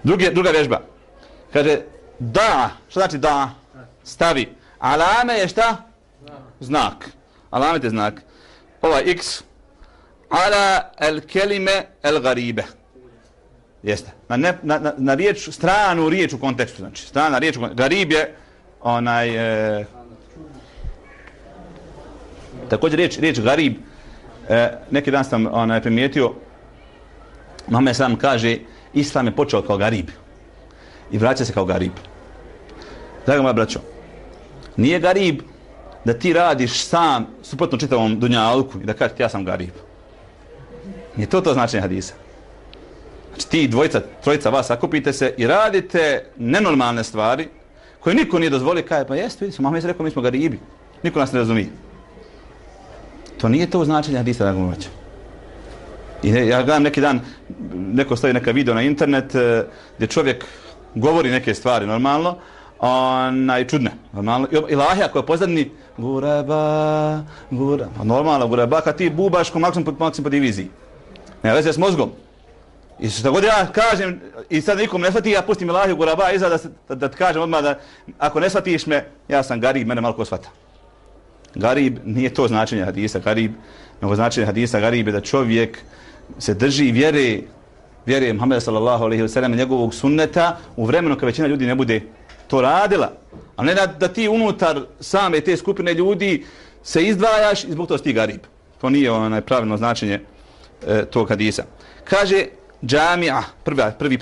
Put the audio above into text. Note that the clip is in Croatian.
Druga vježba. Kaže, da, što znači da? Stavi. Alame je šta? Znak. Alamet je znak. Ovaj x. Ala el kelime el garibe. Jeste. Na riječ, stranu riječ u kontekstu. Znači, strana riječ u kontekstu. Garib je onaj... također riječ garib. Neki dan sam primijetio, Muhammed sam kaže, Islam je počeo kao garib. I vraća se kao garib. Draga moja braćo, nije garib da ti radiš sam suprotno čitavom dunjalku i da kažeš ja sam garib. Nije to značenje hadisa. Znači ti trojica vas sakupite se i radite nenormalne stvari koje niko nije dozvolio, kaže pa jeste, vidi se, Muhammed je rekao mi smo garibi. Niko nas ne razumije. To nije to značenje hadisa, draga moja braćo. I ja gledam neki dan, neko stavi neka video na internet gdje čovjek govori neke stvari normalno, čudne, normalno. Ilahija koja pozadni gureba, normalno gureba, kad ti bubaš ko maksimum po diviziji. Ne veze s mozgom. I što god ja kažem i sad nikom ne shvati, ja pustim Ilahiju gureba iza da ti kažem odmah da ako ne shvatiš me, ja sam garib, mene malo ko shvata. Garib nije to značenje hadisa, garib, nego značenje hadisa garib je da čovjek se drži vjere Muhammeda sallallahu alejhi ve sellem, njegovog sunneta u vremenu kad većina ljudi ne bude to radila. A ne da ti unutar same te skupine ljudi se izdvajaš i zbog toga si ti garib. To nije pravilno značenje tog hadisa. Kaže džamija, prvi